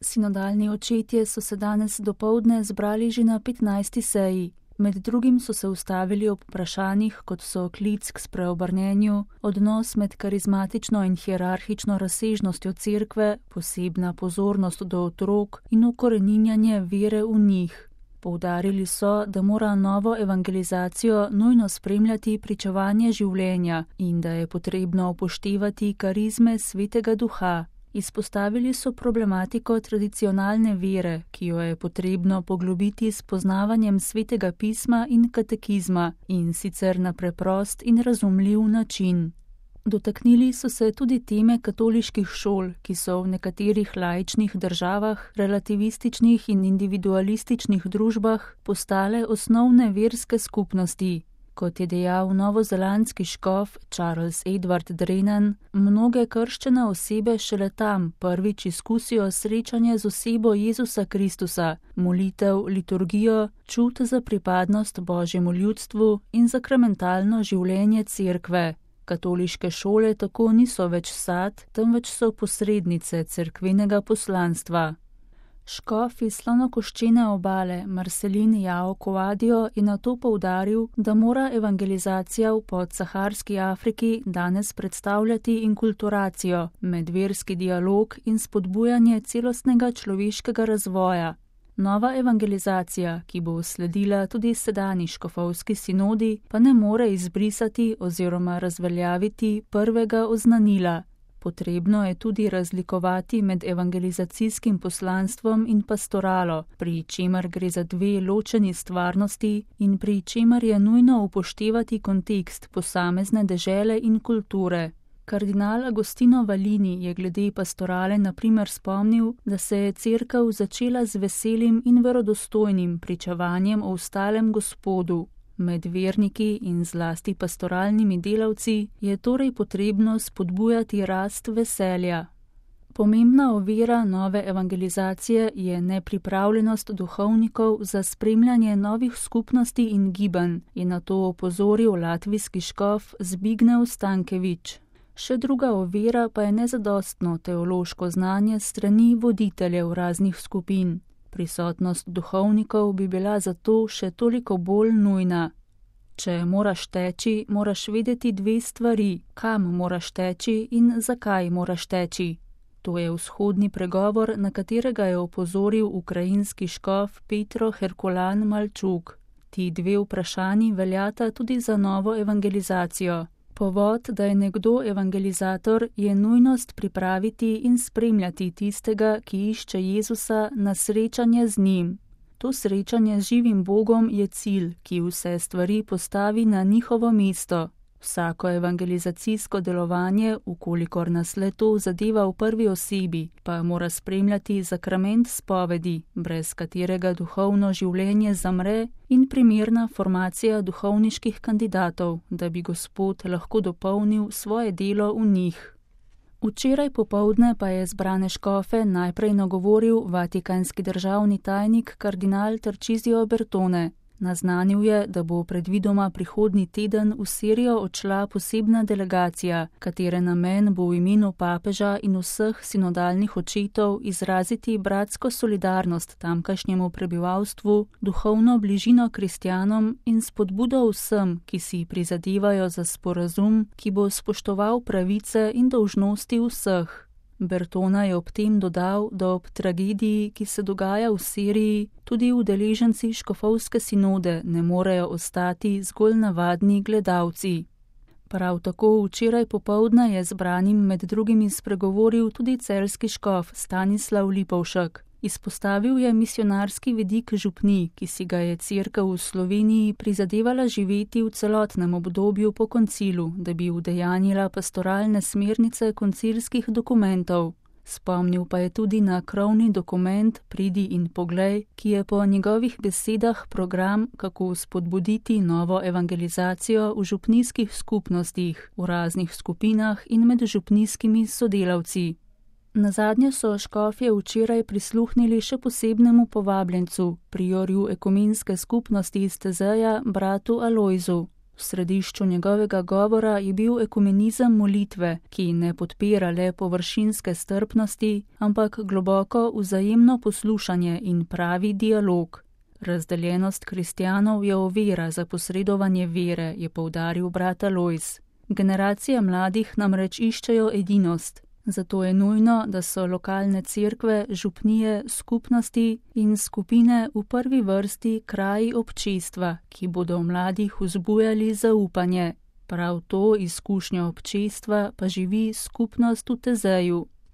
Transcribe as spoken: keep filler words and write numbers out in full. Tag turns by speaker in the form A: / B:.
A: Sinodalni očetje so se danes dopoldne zbrali že na petnajsti seji. Med drugim so se ustavili ob vprašanjih, kot so klic k spreobrnenju, odnos med karizmatično in hierarhično razsežnostjo cerkve, posebna pozornost do otrok in ukoreninjanje vere v njih. Poudarili so, da mora novo evangelizacijo nujno spremljati pričevanje življenja in da je potrebno upoštevati karizme Svetega Duha. Izpostavili so problematiko tradicionalne vere, ki jo je potrebno poglobiti s poznavanjem Svetega pisma in katekizma, in sicer na preprost in razumljiv način. Dotaknili so se tudi teme katoliških šol, ki so v nekaterih laičnih državah, relativističnih in individualističnih družbah postale osnovne verske skupnosti. Kot je dejal novozelandski škof Charles Edward Drennan, mnoge krščene osebe šele tam prvič izkusijo srečanje z osebo Jezusa Kristusa, molitev, liturgijo, čut za pripadnost Božjemu ljudstvu in sakramentalno življenje cerkve. Katoliške šole tako niso več sad, temveč so posrednice cerkvenega poslanstva. Škof iz Slonokoščene obale Marcelin Jao Koadio je nato poudaril, da mora evangelizacija v podsaharski Afriki danes predstavljati inkulturacijo, medverski dialog in spodbujanje celostnega človeškega razvoja. Nova evangelizacija, ki bo sledila tudi sedanji škofovski sinodi, pa ne more izbrisati oziroma razveljaviti prvega oznanila. Potrebno je tudi razlikovati med evangelizacijskim poslanstvom in pastoralo, pri čemer gre za dve ločeni stvarnosti in pri čemer je nujno upoštevati kontekst posamezne dežele in kulture. Kardinal Agostino Valini je glede pastorale na primer spomnil, da se je cerkev začela z veselim in verodostojnim pričevanjem o ostalem Gospodu. Med verniki in zlasti pastoralnimi delavci je torej potrebno spodbujati rast veselja. Pomembna ovira nove evangelizacije je nepripravljenost duhovnikov za spremljanje novih skupnosti in gibanj, je na to opozoril latvijski škof Zbignev Stankevič. Še druga ovira pa je nezadostno teološko znanje strani voditeljev raznih skupin. Prisotnost duhovnikov bi bila zato še toliko bolj nujna. Če moraš teči, moraš vedeti dve stvari, kam moraš teči in zakaj moraš teči. To je vzhodni pregovor, na katerega je opozoril ukrajinski škof Petro Herkulan Malčuk. Ti dve vprašanji veljata tudi za novo evangelizacijo. Povod, da je nekdo evangelizator, je nujnost pripraviti in spremljati tistega, ki išče Jezusa, na srečanje z njim. To srečanje z živim Bogom je cilj, ki vse stvari postavi na njihovo mesto. Vsako evangelizacijsko delovanje, ukolikor nas le to zadeva v prvi osebi, pa mora spremljati sakrament spovedi, brez katerega duhovno življenje zamre, in primerna formacija duhovniških kandidatov, da bi Gospod lahko dopolnil svoje delo v njih. Včeraj popoldne pa je zbrane škofe najprej nagovoril vatikanski državni tajnik kardinal Tarcisio Bertone. Naznanil je, da bo predvidoma prihodnji teden v Sirijo odšla posebna delegacija, katere namen bo v imenu papeža in vseh sinodalnih očetov izraziti bratsko solidarnost tamkajšnjemu prebivalstvu, duhovno bližino kristjanom in spodbudo vsem, ki si prizadevajo za sporazum, ki bo spoštoval pravice in dolžnosti vseh. Bertona je ob tem dodal, da ob tragediji, ki se dogaja v Siriji, tudi udeleženci škofovske sinode ne morejo ostati zgolj navadni gledalci. Prav tako včeraj popoldne je zbranim med drugimi spregovoril tudi celjski škof Stanislav Lipovšek. Izpostavil je misionarski vidik župnij, ki si ga je cerkev v Sloveniji prizadevala živeti v celotnem obdobju po koncilu, da bi udejanjila pastoralne smernice koncilskih dokumentov. Spomnil pa je tudi na krovni dokument Pridi in poglej, ki je po njegovih besedah program, kako spodbuditi novo evangelizacijo v župnijskih skupnostih, v raznih skupinah in med župnijskimi sodelavci. Nazadnje so škofje včeraj prisluhnili še posebnemu povabljencu, priorju ekumenske skupnosti iz Tezeja, bratu Alojzu. V središču njegovega govora je bil ekumenizem molitve, ki ne podpira le površinske strpnosti, ampak globoko vzajemno poslušanje in pravi dialog. Razdeljenost kristjanov je ovira za posredovanje vere, je poudaril brat Alojz. Generacije mladih namreč iščejo edinost, zato je nujno, da so lokalne cerkve, župnije, skupnosti in skupine v prvi vrsti kraji občestva, ki bodo v mladih vzbujali zaupanje. Prav to izkušnjo občestva pa živi skupnost v Tezeju.